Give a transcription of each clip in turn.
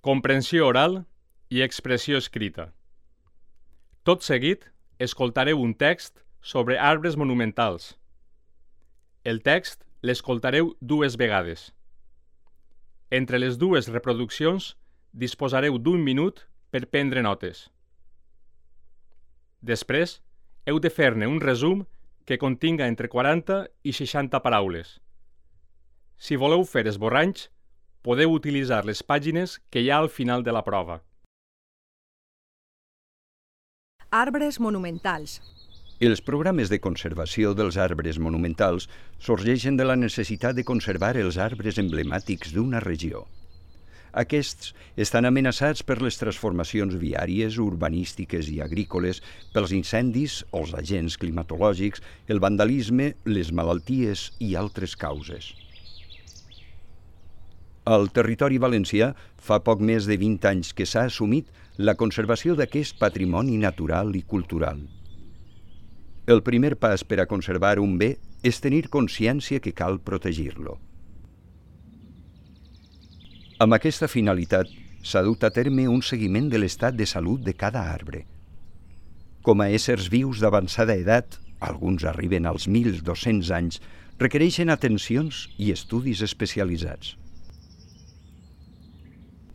comprensió oral i expressió escrita. Tot seguit, escoltareu un text sobre arbres monumentals. El text l'escoltareu 2 vegades. Entre les 2 reproduccions disposareu d'1 minut per prendre notes. Després, heu de fer-ne un resum que continga entre 40 i 60 paraules. Si voleu fer esborranys, podeu utilitzar les pàgines que hi ha al final de la prova. Arbres monumentals. Els programes de conservació dels arbres monumentals sorgeixen de la necessitat de conservar els arbres emblemàtics d'una regió. Aquests estan amenaçats per les transformacions viàries, urbanístiques i agrícoles, pels incendis o els agents climatològics, el vandalisme, les malalties i altres causes. Al territori valencià fa poc més de 20 anys que s'ha assumit la conservació d'aquest patrimoni natural i cultural. El primer pas per a conservar un bé és tenir consciència que cal protegir-lo. Amb aquesta finalitat s'ha dut a terme un seguiment de l'estat de salut de cada arbre. Com a éssers vius d'avançada edat, alguns arriben als 1.200 anys, requereixen atencions i estudis especialitzats.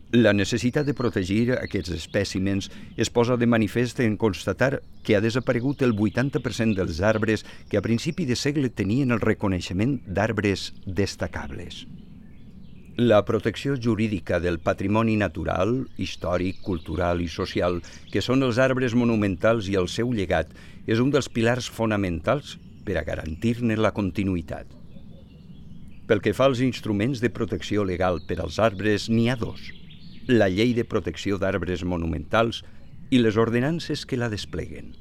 La necessitat de protegir aquests espècimens es posa de manifest en constatar que ha desaparegut el 80% dels arbres que a principi de segle tenien el reconeixement d'arbres destacables. La protecció jurídica del patrimoni natural, històric, cultural i social, que són els arbres monumentals i el seu llegat, és un dels pilars fonamentals per a garantir-ne la continuïtat. Pel que fa als instruments de protecció legal per als arbres, n'hi ha 2. La Llei de Protecció d'Arbres Monumentals i les ordenances que la despleguen.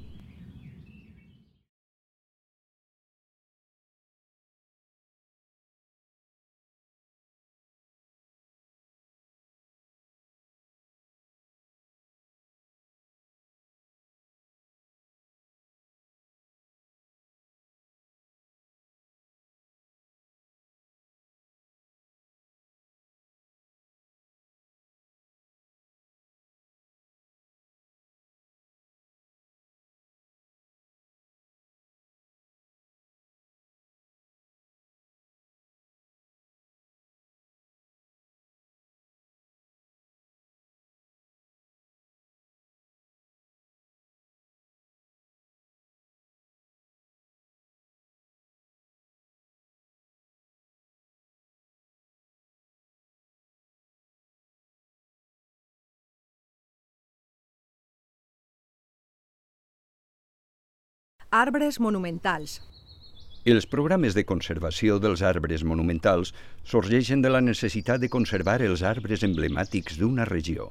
Arbres monumentals. Els programes de conservació dels arbres monumentals sorgeixen de la necessitat de conservar els arbres emblemàtics d'una regió.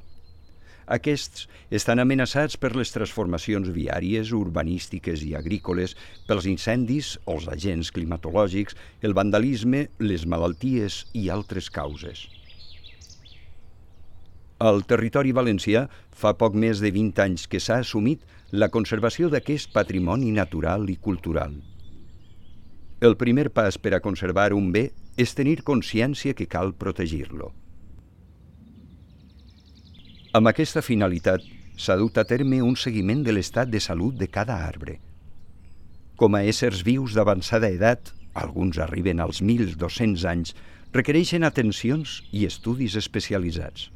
Aquests estan amenaçats per les transformacions viàries, urbanístiques i agrícoles, pels incendis o els agents climatològics, el vandalisme, les malalties i altres causes. Al territori valencià fa poc més de 20 anys que s'ha assumit la conservació d'aquest patrimoni natural i cultural. El primer pas per a conservar un bé és tenir consciència que cal protegir-lo. Amb aquesta finalitat s'ha dut a terme un seguiment de l'estat de salut de cada arbre. Com a éssers vius d'avançada edat, alguns arriben als 1.200 anys, requereixen atencions i estudis especialitzats.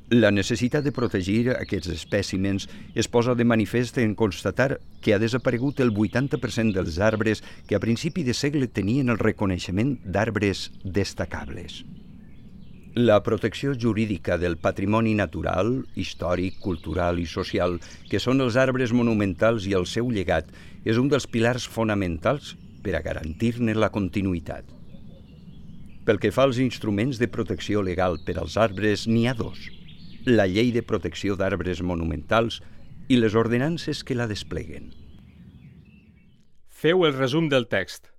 La necessitat de protegir aquests espècimens es posa de manifest en constatar que ha desaparegut el 80% dels arbres que a principi de segle tenien el reconeixement d'arbres destacables. La protecció jurídica del patrimoni natural, històric, cultural i social, que són els arbres monumentals i el seu llegat, és un dels pilars fonamentals per a garantir-ne la continuïtat. Pel que fa als instruments de protecció legal per als arbres, n'hi ha 2. La Llei de Protecció d'Arbres Monumentals i les ordenances que la despleguen. Feu el resum del text.